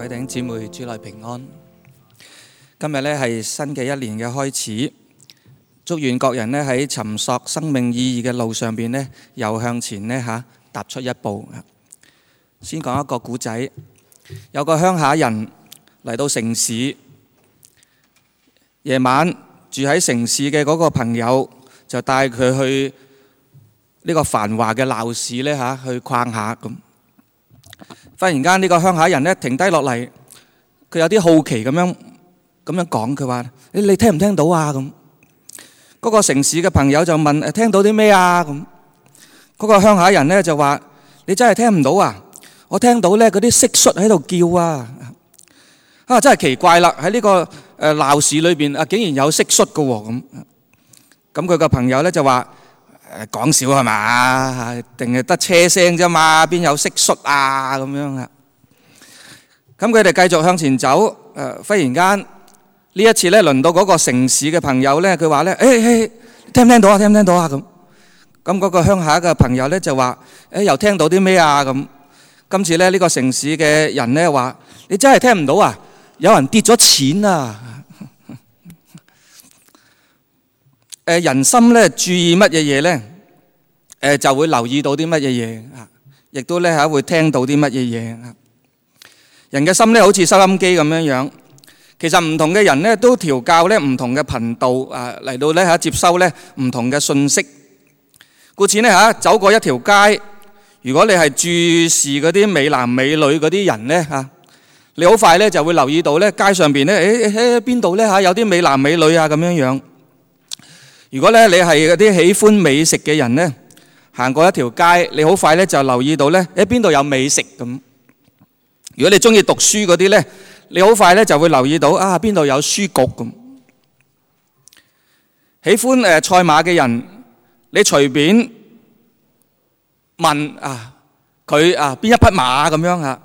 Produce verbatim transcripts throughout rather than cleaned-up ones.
各位弟兄姊妹，主內平安。今日咧係新嘅一年嘅開始，祝願各人咧喺尋索生命意義嘅路上邊咧，又向前咧嚇踏出一步。先講一個古仔，有個鄉下人嚟到城市，夜晚住喺城市嘅嗰個朋友就帶佢去呢個繁華嘅鬧市咧嚇去逛下咁。忽然間呢個鄉下人咧停低落嚟，佢有啲好奇咁樣咁樣講，佢話：你你聽唔聽到啊？咁嗰個城市嘅朋友就問：誒聽到啲咩啊？咁嗰個鄉下人咧就話：你真係聽唔到啊？我聽到咧嗰啲蟋蟀喺度叫啊！啊真係奇怪啦！喺呢個誒鬧市裏邊啊，竟然有蟋蟀嘅喎咁。咁佢個朋友咧就話：誒講笑係嘛？定係得車聲啫嘛？邊有蟋蟀啊？咁樣啊！咁佢哋繼續向前走。誒，忽然間呢一次咧，輪到嗰個城市嘅朋友咧，佢話咧：誒誒，聽唔聽到啊？聽唔聽到啊？咁咁嗰個鄉下嘅朋友咧就話：誒又聽到啲咩啊？咁今次咧呢個城市嘅人咧話：你真係聽唔到啊？有人跌咗錢啊！誒人心咧注意乜嘢嘢咧？誒就會留意到啲乜嘢嘢啊，亦都咧嚇會聽到啲乜嘢嘢啊。人嘅心咧好似收音機咁樣樣，其實唔同嘅人咧都調校咧唔同嘅頻道啊，嚟到咧嚇接收咧唔同嘅信息。故此咧嚇走過一條街，如果你係注視嗰啲美男美女嗰啲人咧嚇，你好快咧就會留意到咧街上邊咧誒誒邊度咧嚇有啲美男美女啊咁樣樣。如果咧你係嗰啲喜歡美食嘅人咧，行過一條街，你好快咧就留意到咧誒邊度有美食咁。如果你中意讀書嗰啲咧，你好快咧就會留意到啊邊度有書局咁。喜歡誒賽馬嘅人，你隨便問啊佢啊邊一匹馬咁樣啊，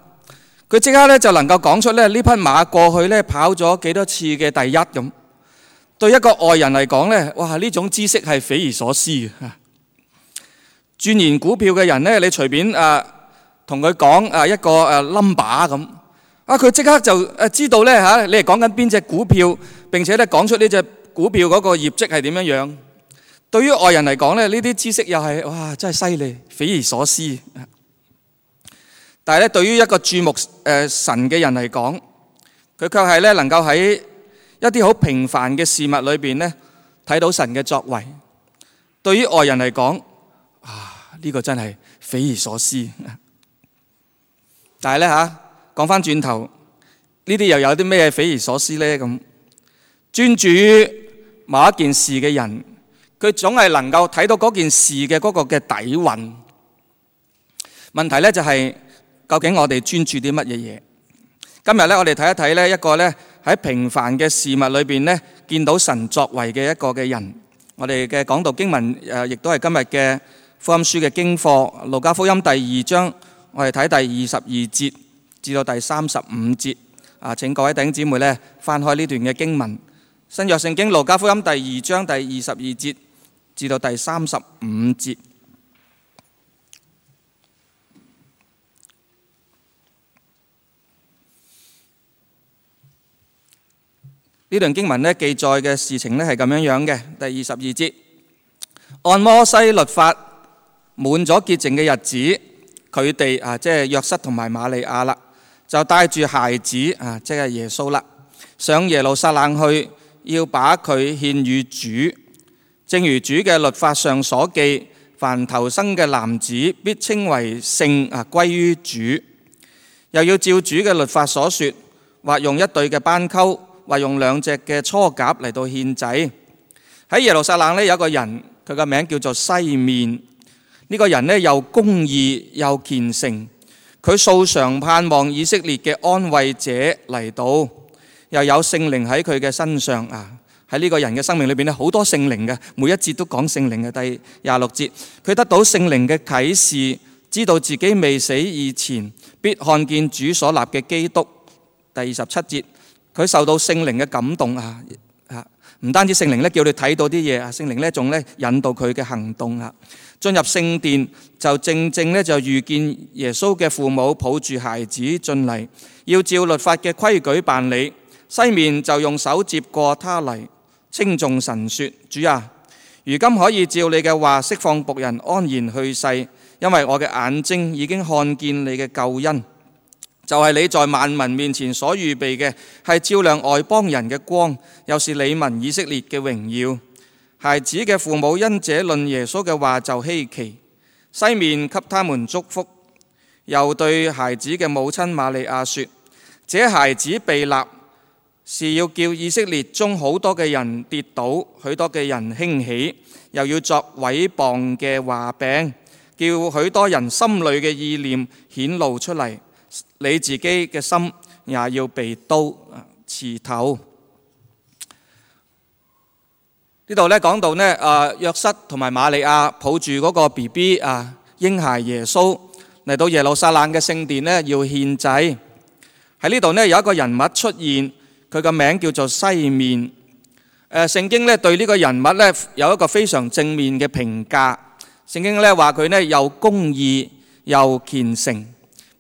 佢即刻咧就能夠講出咧呢匹馬過去咧跑咗幾多次嘅第一咁。對一個外人嚟講咧，哇呢種知識係匪夷所思嘅。鑽研股票嘅人咧，你隨便啊同佢講啊一個誒 number 咁，啊佢即刻就誒知道咧嚇，你係講緊邊隻股票，並且咧講出呢隻股票嗰個業績係點樣樣。對於外人嚟講咧，呢啲知識又係哇真係犀利，匪夷所思。但係咧，對於一個注目誒神嘅人嚟講，佢卻係咧能夠喺一啲好平凡嘅事物裏邊咧睇到神嘅作為。對於外人嚟講，啊呢個真係匪夷所思。但係咧嚇，講翻轉頭，呢啲又有啲咩匪夷所思咧？咁專注於某一件事嘅人，佢總係能夠睇到嗰件事嘅嗰個嘅底蘊。問題咧就係究竟我哋專注啲乜嘢嘢？今日咧我哋睇一睇咧一個咧喺平凡嘅事物裏邊咧見到神作為嘅一個嘅人。我哋嘅講道經文誒，亦都係今日嘅福音書嘅經課，路加福音第二章。我哋睇第二十二節至到第三十五節啊！請各位弟兄姊妹咧翻開呢段嘅經文，新約聖經路加福音第二章第二十二節至到第三十五節。呢段經文咧記載嘅事情咧係咁樣樣嘅。第二十二節，按摩西律法滿咗潔淨嘅日子，佢哋啊，即係約瑟同埋瑪利亞啦，就帶住孩子啊，即係耶穌啦，上耶路撒冷去，要把佢獻與主。正如主嘅律法上所記，凡頭生嘅男子必稱為聖啊，歸於主。又要照主嘅律法所說，或用一對嘅斑鳩，或用兩隻嘅雛鴿嚟到獻祭。喺耶路撒冷呢，有一個人，佢個名叫做西面。呢個人呢又公義又虔誠，佢素常盼望以色列嘅安慰者嚟到，又有聖靈喺佢嘅身上啊！喺呢個人嘅生命裏邊咧，好多聖靈嘅，每一節都講聖靈嘅。第廿六節，佢得到聖靈嘅啟示，知道自己未死以前必看見主所立嘅基督。第二十七節，佢受到聖靈嘅感動啊！啊，唔單止聖靈咧叫你睇到啲嘢啊，聖靈咧仲咧引導佢嘅行動啊。進入聖殿就正正咧就遇見耶穌嘅父母抱住孩子進嚟，要照律法嘅規矩辦理。西面就用手接過他嚟，稱頌神說：主啊，如今可以照你嘅話釋放僕人安然去世，因為我嘅眼睛已經看見你嘅救恩，就係你在萬民面前所預備嘅，係照亮外邦人嘅光，又是你民以色列嘅榮耀。孩子嘅父母因這論耶穌嘅話就稀奇，西面給他們祝福，又對孩子嘅母親瑪利亞說：這孩子被立是要叫以色列中好多嘅人跌倒，許多嘅人興起，又要作毀謗嘅話柄，叫許多人心裏嘅意念顯露出嚟。你自己嘅心也要被刀刺透。呢度咧講到呢，啊約瑟同埋瑪利亞抱住嗰個 B B 啊嬰孩耶穌嚟到耶路撒冷嘅聖殿呢，要獻祭。喺呢度呢，有一個人物出現，佢個名叫做西面。誒聖經咧對呢個人物咧有一個非常正面嘅評價。聖經咧話佢呢又公義又虔誠，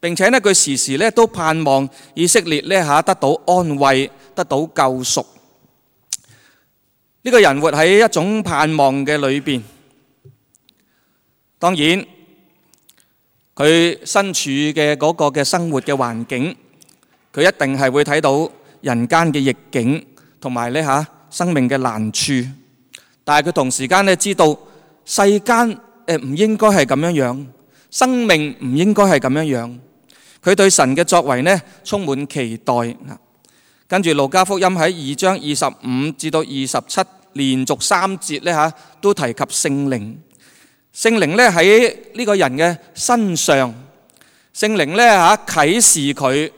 並且呢佢時時咧都盼望以色列咧嚇得到安慰，得到救贖。呢個人活喺一種盼望嘅裏邊，當然佢身處嘅嗰個嘅生活嘅環境，佢一定係會睇到人間嘅逆境同埋咧嚇生命嘅難處，但係佢同時間咧知道世間誒唔應該係咁樣樣，生命唔應該係咁樣樣。佢對神嘅作為呢充滿期待。跟住路加福音喺二章二十五至到二十七連續三節咧嚇都提及聖靈。聖靈咧喺呢個人嘅身上，聖靈咧嚇啟示佢，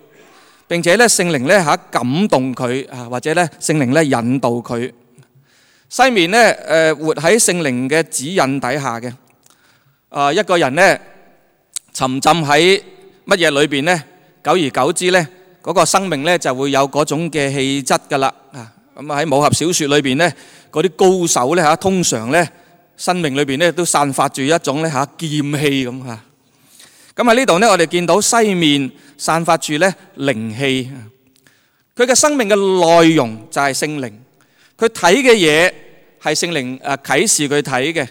並且咧聖靈咧嚇感動佢啊，或者咧聖靈咧引導佢。西面咧誒活喺聖靈嘅指引底下嘅啊一個人咧沉浸喺乜嘢裏邊咧，久而久之咧嗰個生命咧就會有嗰種嘅氣質噶啦啊！咁啊喺武俠小説裏邊咧，嗰啲高手咧嚇通常咧生命裏邊咧都散發住一種咧嚇劍氣咁嚇。咁喺呢度咧，我哋見到西面散發住咧靈氣，佢嘅生命嘅內容就係聖靈，佢睇嘅嘢係聖靈誒啟示佢睇嘅，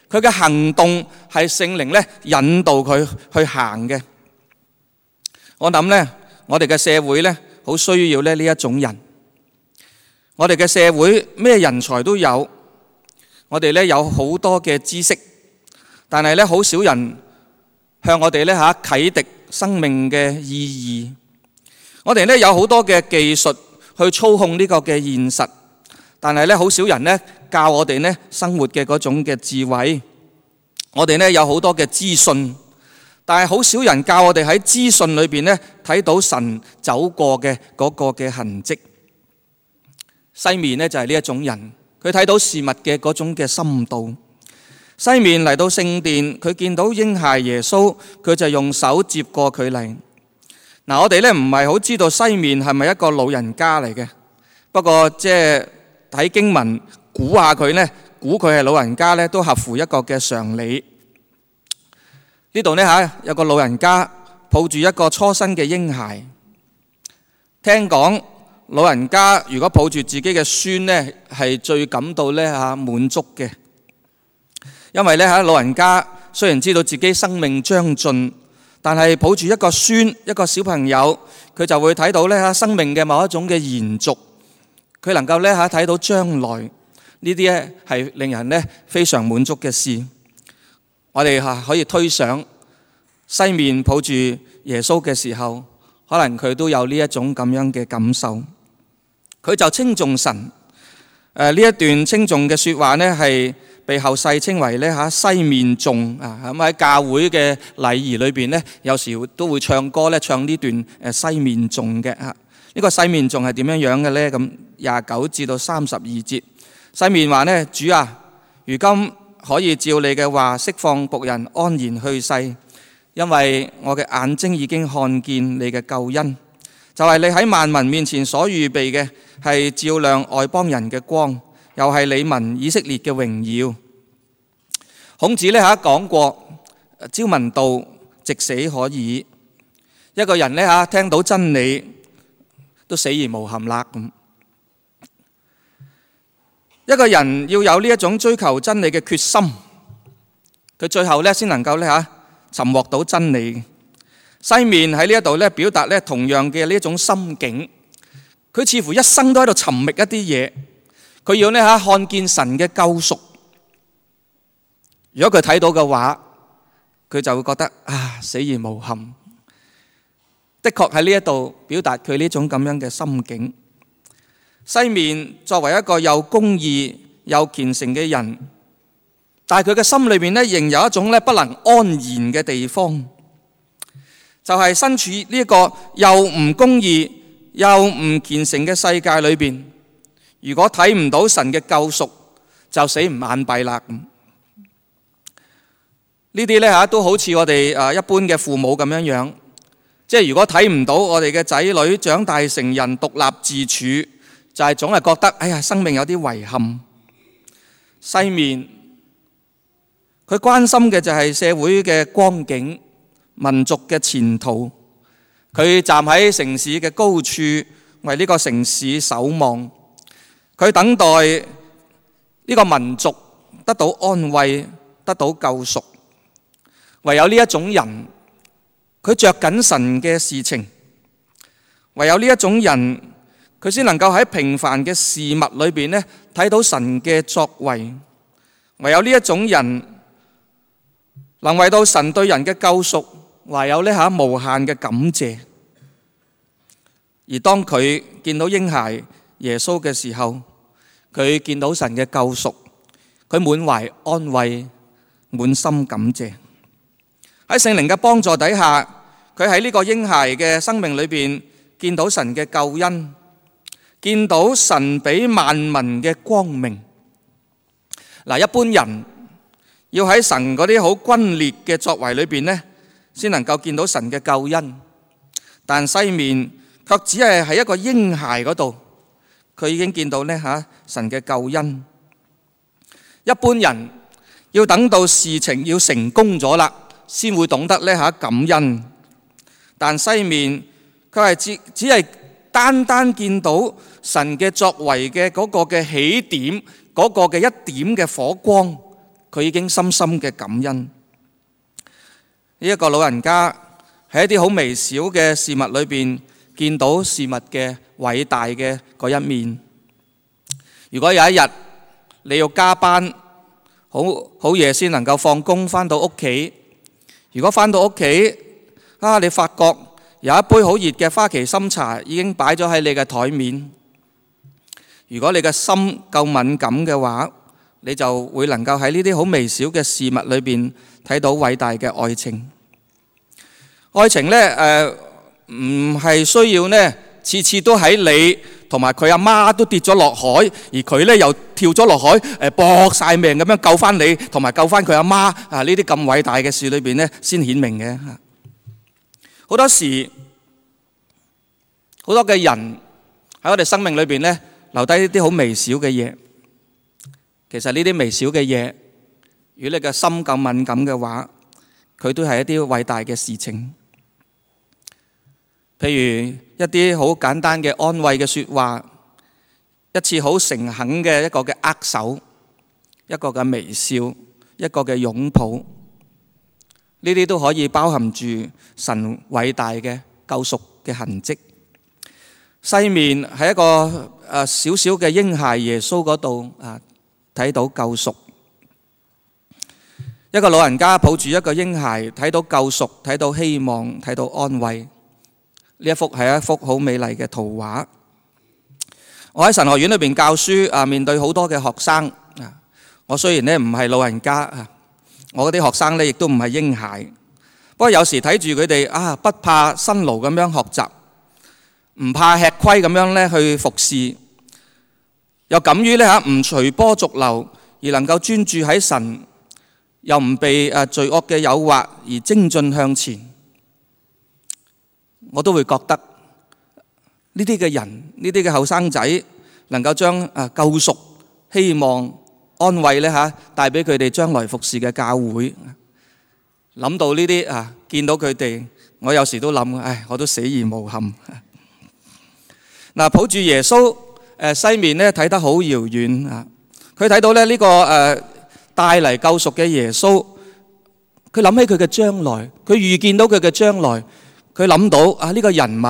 佢嘅行動係聖靈咧引導佢去行嘅。我諗咧，我哋嘅社會咧好需要咧呢一種人。我哋嘅社會咩人才都有，我哋咧有好多嘅知識，但係咧好少人向我哋咧嚇啟迪生命嘅意義。我哋咧有好多嘅技術去操控呢個嘅現實，但係咧好少人咧教我哋咧生活嘅嗰種嘅智慧。我哋咧有好多嘅資訊，但係好少人教我哋喺資訊裏邊咧睇到神走過嘅嗰個嘅痕跡。西面咧就係呢一種人，佢睇到事物嘅嗰種嘅深度。西面嚟到聖殿，佢見到嬰孩耶穌，佢就用手接過佢嚟。嗱，我哋咧唔係好知道西面係咪一個老人家嚟嘅，不過即係睇經文估下佢咧，估佢係老人家咧，都合乎一個嘅常理。呢度咧嚇有個老人家抱住一個初生嘅嬰孩，聽講老人家如果抱住自己嘅孫咧，係最感到咧嚇滿足嘅，因為咧嚇老人家雖然知道自己生命將盡，但係抱住一個孫一個小朋友，佢就會睇到咧嚇生命嘅某一種嘅延續，佢能夠咧嚇睇到將來，呢啲咧係令人咧非常滿足嘅事。我哋嚇可以推想西面抱住耶穌嘅時候，可能佢都有呢一種咁樣嘅感受。佢就稱頌神。誒呢一段稱頌嘅説話呢，係被後世稱為咧嚇西面頌啊。咁喺教會嘅禮儀裏邊呢，有時都會唱歌咧，唱呢段誒西面頌嘅嚇。呢個西面頌係點樣樣嘅呢？咁廿九至到三十二節，西面話呢：主啊，如今可以照你嘅話釋放僕人安然去世，因為我嘅眼睛已經看見你嘅救恩，就係你喺萬民面前所預備嘅，係照亮外邦人嘅光，又係你民以色列嘅榮耀。孔子呢嚇講過，朝聞道，夕死可矣。一個人呢嚇聽到真理都死而無憾啦咁。一個人要有呢一種追求真理嘅決心，佢最後呢先能夠呢嚇尋獲到真理。西面喺呢一度呢表達呢同樣嘅呢一種心境，佢似乎一生都喺度尋覓一啲嘢，佢要呢嚇看見神嘅救贖。如果佢睇到嘅話，佢就會覺得啊死而無憾。的確喺呢一度表達佢呢種咁樣嘅心境。西面作為一個又公義又虔誠嘅人，但係佢嘅心裏面呢仍有一種呢不能安然嘅地方，就係身處呢一個又唔公義又唔虔誠嘅世界裏邊。如果睇唔到神嘅救贖，就死唔眼閉啦。呢啲呢嚇都好似我哋誒一般嘅父母咁樣樣，即係如果睇唔到我哋嘅仔女長大成人獨立自處，就係總係覺得哎呀生命有啲遺憾。西面佢關心嘅就係社會嘅光景、民族嘅前途。佢站喺城市嘅高處，為呢個城市守望。佢等待呢個民族得到安慰，得到救贖。唯有呢一種人，佢着緊神嘅事情。唯有呢一種人，佢先能夠喺平凡嘅事物裏邊呢睇到神嘅作為。唯有呢一種人，能為到神對人嘅救贖，懷有呢下無限嘅感謝。而當佢見到嬰孩耶穌嘅時候，佢見到神嘅救贖，佢滿懷安慰，滿心感謝。喺聖靈嘅幫助底下，佢喺呢個嬰孩嘅生命裏邊見到神嘅救恩，見到神俾萬民嘅光明。嗱，一般人要喺神嗰啲好轟烈嘅作為裏邊呢，先能夠見到神嘅救恩。但西面卻只係喺一個嬰孩嗰度，佢已經見到呢嚇神嘅救恩。一般人要等到事情要成功咗啦，先會懂得呢嚇感恩。但西面佢係只只係單單見到神嘅作為嘅嗰個嘅起點，嗰個嘅一點嘅火光，佢已經深深嘅感恩。呢一個老人家喺一啲好微小嘅事物裏邊見到事物嘅偉大嘅嗰一面。如果有一日你要加班，好好夜先能夠放工翻到屋企，如果翻到屋企啊，你發覺有一杯好熱嘅花旗參茶已經擺咗喺你嘅台面，如果你嘅心夠敏感嘅話，你就會能夠喺呢啲好微小嘅事物裏邊睇到偉大嘅愛情。愛情呢，誒唔係需要呢次次都喺你同埋佢阿媽都跌咗落海，而佢呢又跳咗落海，誒搏晒命咁樣救翻你，同埋救翻佢阿媽啊！呢啲咁偉大嘅事裏邊呢，先顯明嘅。好多時，好多嘅人喺我哋生命裏邊呢，留低一啲好微小嘅嘢。其實呢啲微小嘅嘢，如果你嘅心夠敏感嘅話，佢都係一啲偉大嘅事情。譬如一啲好簡單嘅安慰嘅說話，一次好誠懇嘅一個嘅握手，一個嘅微笑，一個嘅擁抱，呢啲都可以包含住神偉大嘅救贖嘅痕跡。西面喺一個誒小小嘅嬰孩耶穌嗰度啊，睇到救贖。一個老人家抱住一個嬰孩，睇到救贖，睇到希望，睇到安慰。呢一幅係一幅好美麗嘅圖畫。我喺神學院裏邊教書啊，面對好多嘅學生啊。我雖然咧唔係老人家啊，我嗰啲學生咧亦都唔係嬰孩。不過有時睇住佢哋啊，不怕辛勞咁樣學習，唔怕吃虧咁樣咧去服侍，又敢於咧嚇唔隨波逐流，而能夠專注喺神，又唔被誒罪惡嘅誘惑而精進向前。我都會覺得呢啲嘅人，呢啲嘅後生仔能夠將誒救贖希望、安慰咧嚇，帶俾佢哋將來服侍嘅教會。諗到呢啲啊，見到佢哋，我有時都諗，唉，我都死而無憾。嗱，抱住耶穌誒西面咧睇得好遙遠啊！佢睇到咧呢個誒帶嚟救贖嘅耶穌，佢諗起佢嘅將來，佢預見到佢嘅將來，佢諗到啊呢個人物，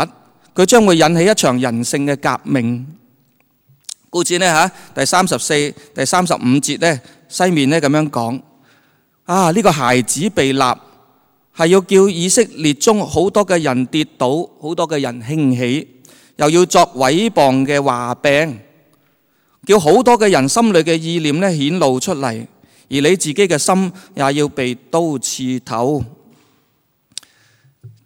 佢將會引起一場人性嘅革命。故此呢嚇，第三十四、第三十五節咧西面咧咁樣講啊，呢個孩子被立係要叫以色列中好多嘅人跌倒，好多嘅人興起。又要作毀謗嘅話柄，叫好多嘅人心裏嘅意念咧顯露出嚟，而你自己嘅心也要被刀刺透。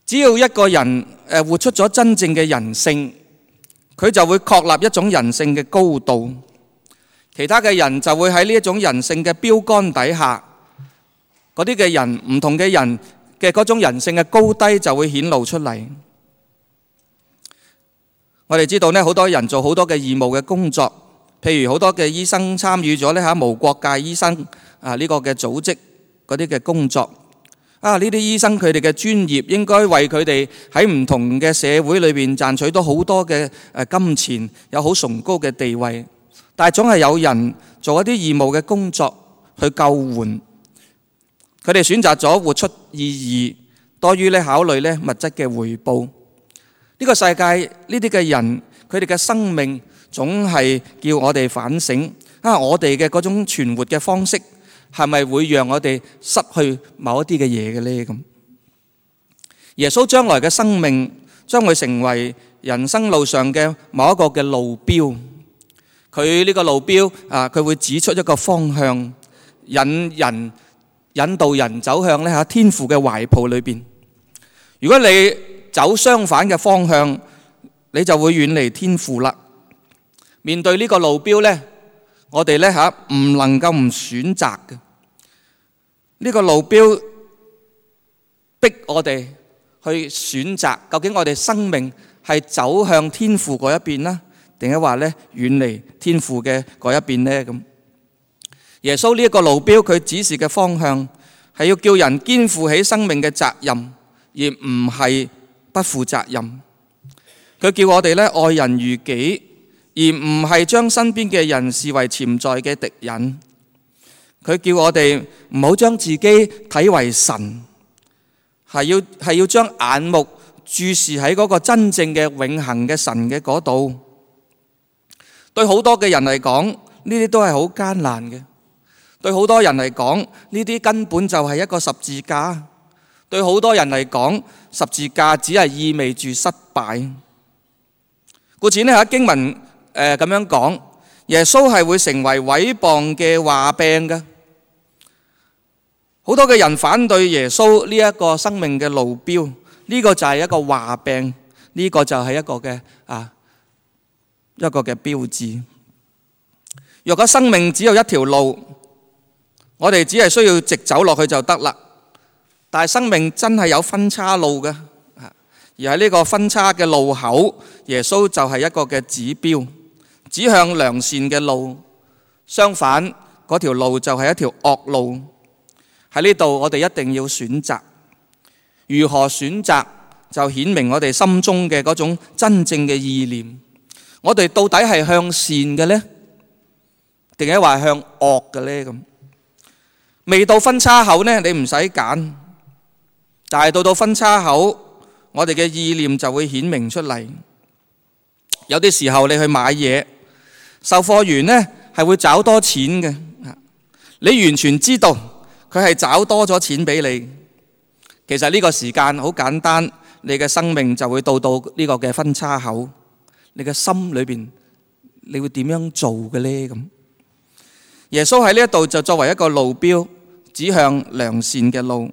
只要一個人誒活出咗真正嘅人性，佢就會確立一種人性嘅高度，其他嘅人就會喺呢一種人性嘅標杆底下，嗰啲嘅人唔同嘅人嘅嗰種人性嘅高低就會顯露出嚟。我哋知道呢，好多人做好多嘅義務嘅工作，譬如好多嘅醫生參與咗呢嚇無國界醫生啊呢個嘅組織嗰啲嘅工作啊，呢啲醫生佢哋嘅專業應該為佢哋喺唔同嘅社會裏邊賺取到好多嘅誒金錢，有好崇高嘅地位，但係總係有人做一啲義務嘅工作去救援，佢哋選擇咗活出意義多於咧考慮咧物質嘅回報。呢個世界呢啲嘅人，佢哋嘅生命總係叫我哋反省啊！我哋嘅嗰種存活嘅方式係咪會讓我哋失去某一啲嘅嘢嘅呢？咁耶穌將來嘅生命將會成為人生路上嘅某一個嘅路標。佢呢個路標啊，佢會指出一個方向，引人引導人走向咧嚇天父嘅懷抱裏邊。如果你走相反嘅方向，你就會遠離天父啦。面對呢個路標呢，我哋呢嚇唔能夠唔選擇嘅。呢個路標逼我哋去選擇，究竟我哋生命係走向天父嗰一邊啦，定係話呢遠離天父嘅嗰一邊呢？咁耶穌呢一個路標，佢指示嘅方向係要叫人肩負起生命嘅責任，而唔係不負責任。佢叫我哋咧愛人如己，而唔係將身邊嘅人視為潛在嘅敵人。佢叫我哋唔好將自己睇為神，係要係要將眼目注視喺嗰個真正嘅永恆嘅神嘅嗰度。對好多嘅人嚟講，呢啲都係好艱難嘅。對好多人嚟講，呢啲根本就係一個十字架。對好多人嚟講，十字架只係意味住失敗。故此呢，喺經文誒咁樣講，耶穌係會成為毀謗嘅話柄嘅。好多嘅人反對耶穌呢一個生命嘅路標，呢個就係一個話柄，呢個就係一個嘅啊一個嘅標誌。若果生命只有一條路，我哋只係需要直走落去就得啦。但係生命真係有分岔路嘅，而喺呢個分岔嘅路口，耶穌就係一個嘅指標，指向良善嘅路。相反，嗰條路就係一條惡路。喺呢度，我哋一定要選擇。如何選擇，就顯明我哋心中嘅嗰種真正嘅意念。我哋到底係向善嘅呢？定係話向惡嘅呢？咁未到分岔口呢，你唔使揀。但係到到分岔口，我哋嘅意念就會顯明出嚟。有啲時候你去買嘢，售貨員呢係會找多錢嘅，你完全知道佢係找多咗錢俾你。其實呢個時間好簡單，你嘅生命就會到到呢個嘅分岔口。你嘅心裏邊，你會點樣做嘅呢？咁耶穌喺呢一度就作為一個路標，指向良善嘅路。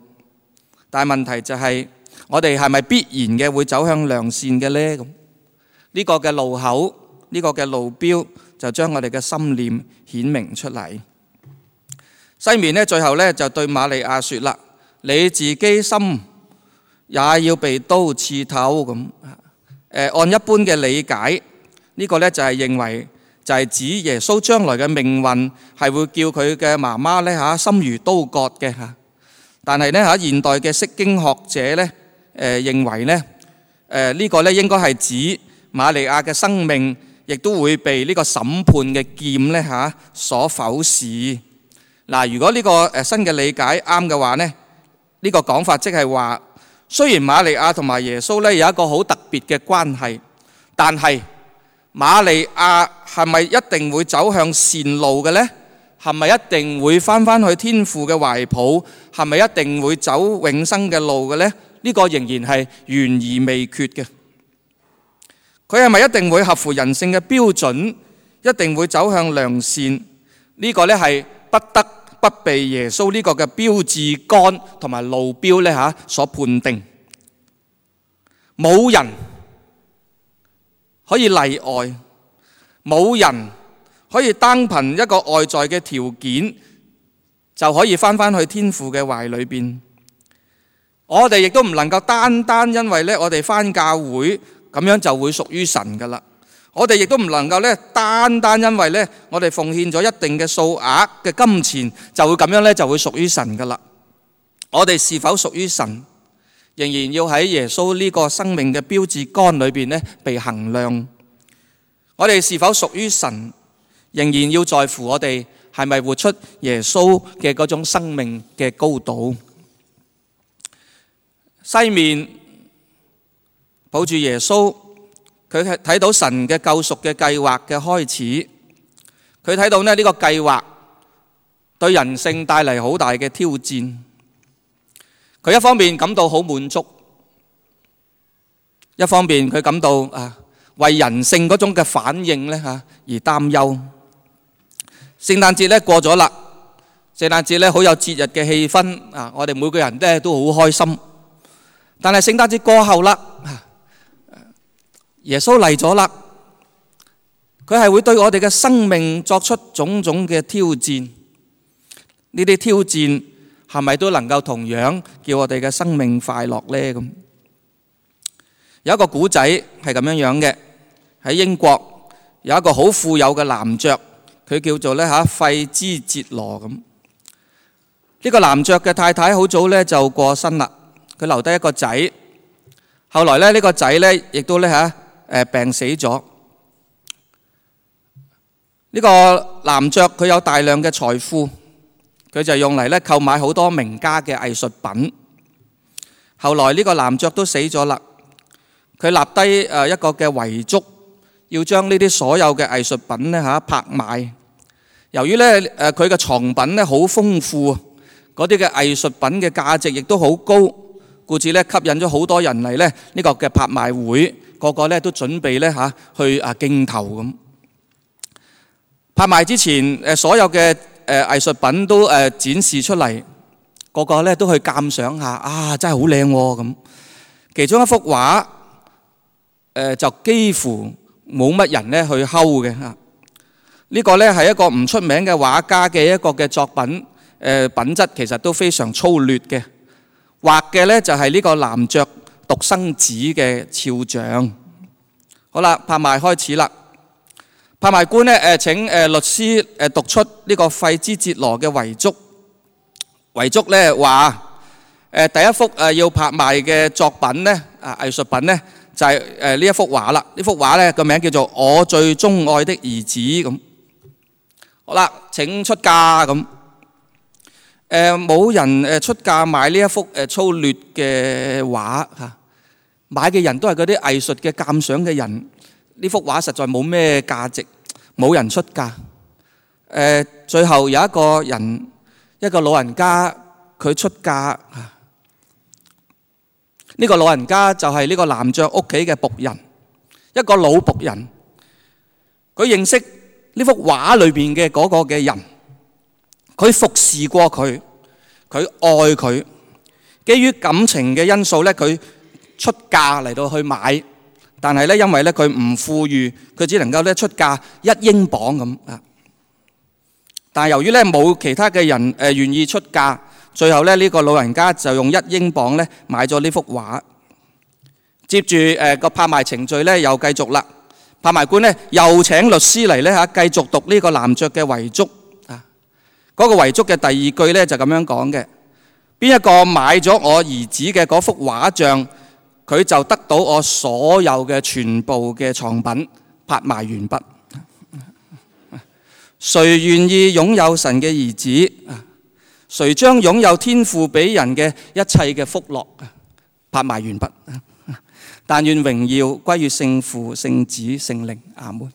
但係問題就係，我哋係咪必然嘅會走向良善嘅呢？咁呢個嘅路口，呢個嘅路標就將我哋嘅心念顯明出嚟。西面呢，最後呢就對瑪利亞說啦：你自己心也要被刀刺透。咁誒，按一般嘅理解，呢個呢就係認為就係指耶穌將來嘅命運係會叫佢嘅媽媽咧嚇心如刀割嘅嚇。但係咧嚇現代嘅釋經學者咧誒認為咧誒呢個咧應該係指瑪利亞嘅生命亦都會被呢個審判嘅劍咧嚇所否視。嗱，如果呢個誒新嘅理解啱嘅話咧，呢個講法即係話，雖然瑪利亞同埋耶穌咧有一個好特別嘅關係，但係瑪利亞係咪一定會走向善路嘅呢？係咪一定會返返去天父嘅懷抱？係咪一定會走永生嘅路嘅呢？呢個仍然係懸而未決嘅。佢係咪一定會合乎人性嘅標準？一定會走向良善？呢個呢係不得不被耶穌呢個嘅標誌杆同埋路標呢嚇所判定。冇人可以例外，冇人可以單憑一個外在嘅條件就可以返返去天父嘅懷裏邊。我哋亦都唔能夠單單因為咧我哋返教會咁樣就會屬於神噶啦。我哋亦都唔能夠咧單單因為咧我哋奉獻咗一定嘅數額嘅金錢就會咁樣咧就會屬於神噶啦。我哋是否屬於神，仍然要喺耶穌呢個生命嘅標誌杆裏邊咧被衡量。我哋是否屬於神，仍然要在乎我哋係咪活出耶穌嘅嗰種生命嘅高度。西面抱住耶穌，佢係睇到神嘅救贖嘅計劃嘅開始，佢睇到咧呢個計劃對人性帶嚟好大嘅挑戰。佢一方面感到好滿足，一方面佢感到啊為人性嗰種嘅反應咧嚇而擔憂。聖誕節咧過咗啦，聖誕節咧好有節日嘅氣氛啊！我哋每個人咧都好開心。但係聖誕節過後啦，耶穌嚟咗啦，佢係會對我哋嘅生命作出種種嘅挑戰。呢啲挑戰係咪都能夠同樣叫我哋嘅生命快樂呢？咁有一個古仔係咁樣樣嘅，喺英國有一個好富有嘅男爵，佢叫做咧嚇費茲哲羅咁。呢個男爵嘅太太好早咧就過身啦，佢留低一個仔。後來咧呢個仔咧亦都咧嚇誒病死咗。呢個男爵佢有大量嘅財富，佢就用嚟咧購買好多名家嘅藝術品。後來呢個男爵都死咗啦，佢立低誒一個嘅遺囑，要將呢啲所有嘅藝術品咧嚇拍賣。由於咧誒佢嘅藏品咧好豐富，嗰啲嘅藝術品嘅價值亦都好高，故此咧吸引咗好多人嚟咧呢個嘅拍賣會，個個咧都準備咧嚇去啊競投咁。拍賣之前誒所有嘅誒藝術品都誒展示出嚟，個個咧都去鑑賞下，啊真係好靚喎咁。其中一幅畫誒就幾乎冇乜人咧去睺嘅嚇。呢個咧係一個唔出名嘅畫家嘅一個嘅作品，誒品質其實都非常粗劣嘅。畫嘅咧就係呢個男爵獨生子嘅肖像。好啦，拍賣開始啦。拍賣官咧誒請誒律師誒讀出呢個費茲哲羅嘅遺囑。遺囑咧話誒第一幅誒要拍賣嘅作品咧啊藝術品咧就係誒呢一幅畫啦。呢幅畫咧個名叫做《我最鍾愛的兒子》咁。好啦，請出價咁。誒冇人誒出價買呢一幅誒粗劣嘅畫嚇，買嘅人都係嗰啲藝術嘅鑑賞嘅人。呢幅畫實在冇咩價值，冇人出價。誒最後有一個人，一個老人家佢出價。呢個老人家就係呢個男爵屋企嘅僕人，一個老僕人。佢認識呢幅畫裏邊嘅嗰個嘅人，佢服侍過佢，佢愛佢。基於感情嘅因素咧，佢出價嚟到去買。但係咧，因為咧佢唔富裕，佢只能夠咧出價一英鎊咁啊。但係由於咧冇其他嘅人誒願意出價，最後咧呢個老人家就用一英鎊咧買咗呢幅畫。接住誒個拍賣程序咧又繼續啦。拍賣官咧又請律師嚟咧嚇，繼續讀呢個男爵嘅遺囑啊。嗰個遺囑嘅第二句咧就咁樣講嘅：邊一個買咗我兒子嘅嗰幅畫像，佢就得到我所有嘅全部嘅藏品。拍賣完畢。誰願意擁有神嘅兒子？誰將擁有天父俾人嘅一切嘅福樂？拍賣完畢。但願榮耀歸於聖父、聖子、聖靈。阿門。